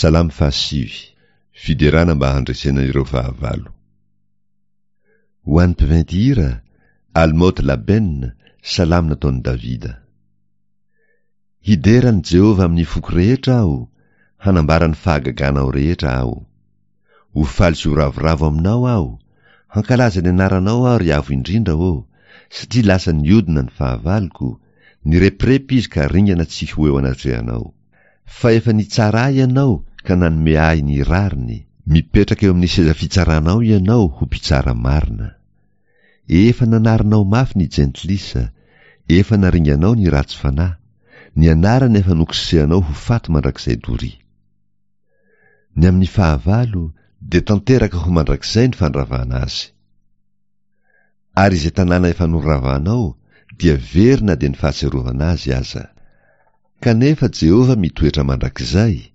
Salamo fahasivy, Fiderana mba handresena ireo fahavalo. Ho an'ny mpiventy hira, Almot Laben, Salamo nataon'i Davida. Hidera an'i Jehovah amin'ny foko rehetra aho, hanambara ny fahagaganao rehetra aho. Ho faly sy ho ravoravo aminao aho, hankalaza ny anaranao aho ry Avo Indrindra ô, satria lasa niodina ny fahavaloko, nirepirepy izy ka ringana tsy ho eo anatrehanao. Fa efa nitsara ahy ianao ka nanome ahy ny rariny, mipetraka eo amin'ny seza fitsaranao ianao ho mpitsara marina. Efa nanarinao mafy ny jentilisa, efa naringanao ny ratsy fanahy, ny anarany efa nokosehanao ho faty mandrakizay doria. Ny amin'ny fahavalo dia tanteraka ho mandrakizay ny fandravana azy. Ary izay tanàna efa noravanao dia very na dia ny fahatsiarovana azy aza. Kanefa Jehovah mitoetra mandrakizay,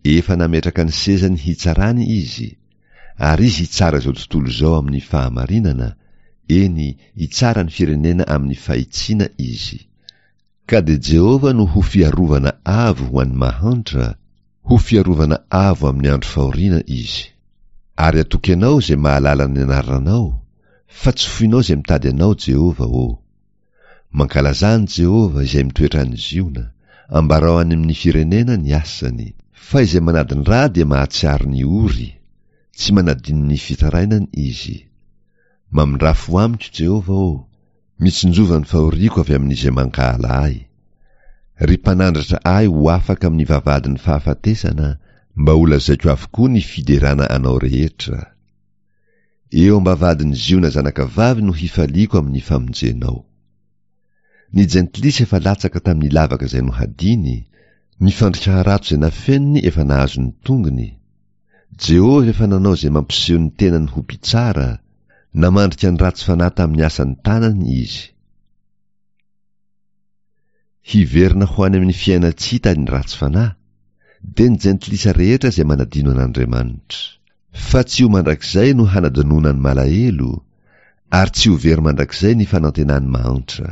efa nametraka ny sezany hitsarany Izy, ary Izy hitsara izao tontolo izao amin'ny fahamarinana, eny, hitsara ny firenena amin'ny fahitsiana Izy. Ka dia Jehovah no ho fiarovana avo ho an'ny mahantra, ho fiarovana avo amin'ny andro fahoriana Izy. Ary atoky Anao izay mahalala ny anaranao, fa tsy foinao izay mitady Anao, Jehovah ô. Mankalazà an'i Jehovah izay mitoetra any Ziona, ambarao any amin'ny firenena ny asany. Fa izay manadin-dra dia mahatsiaro ny ory, tsy manadino ny fitarainany Izy. Mamindrà fo amiko, Jehovah ô, Mitsinjova ny fahoriako avy amin'izay mankahala ahy. Ry mpanandratra ahy ho afaka amin'ny vavahadin'ny fahafatesana, mba holazaiko avokoa ny fiderana anao rehetra. Eo am-bavahadin'i Ziona zanakavavy no hifaliako amin'ny famonjenao. Ny jentilisa efa latsaka tamin'ny lavaka izay nohadiny, ny fandrika harato izay nafeniny efa nahazo ny tongony, Jehovah efa nanao izay mampiseho ny tenany ho mpitsara, namandrika ny ratsy fanahy tamin'ny asan'ny tanany izy. Hiverina ho any amin'ny fiainan-tsy hita ny ratsy fanahy, dia ny jentilisa rehetra izay manadino an'Andriamanitra. Fa tsy ho mandrakizay no hanadinoana ny malahelo, ary tsy ho very mandrakizay ny fanantenan'ny mahantra.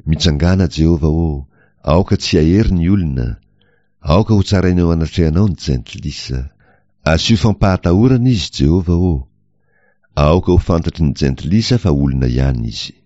Mitsangàna, Jehovah ô, aoka tsy hahery ny olona, aoka hotsaraina eo anatrehanao ny jentilisa. Asio fampahatahorana izy, Jehovah ô! Aoka ho fantatry ny jentilisa fa olona ihany izy.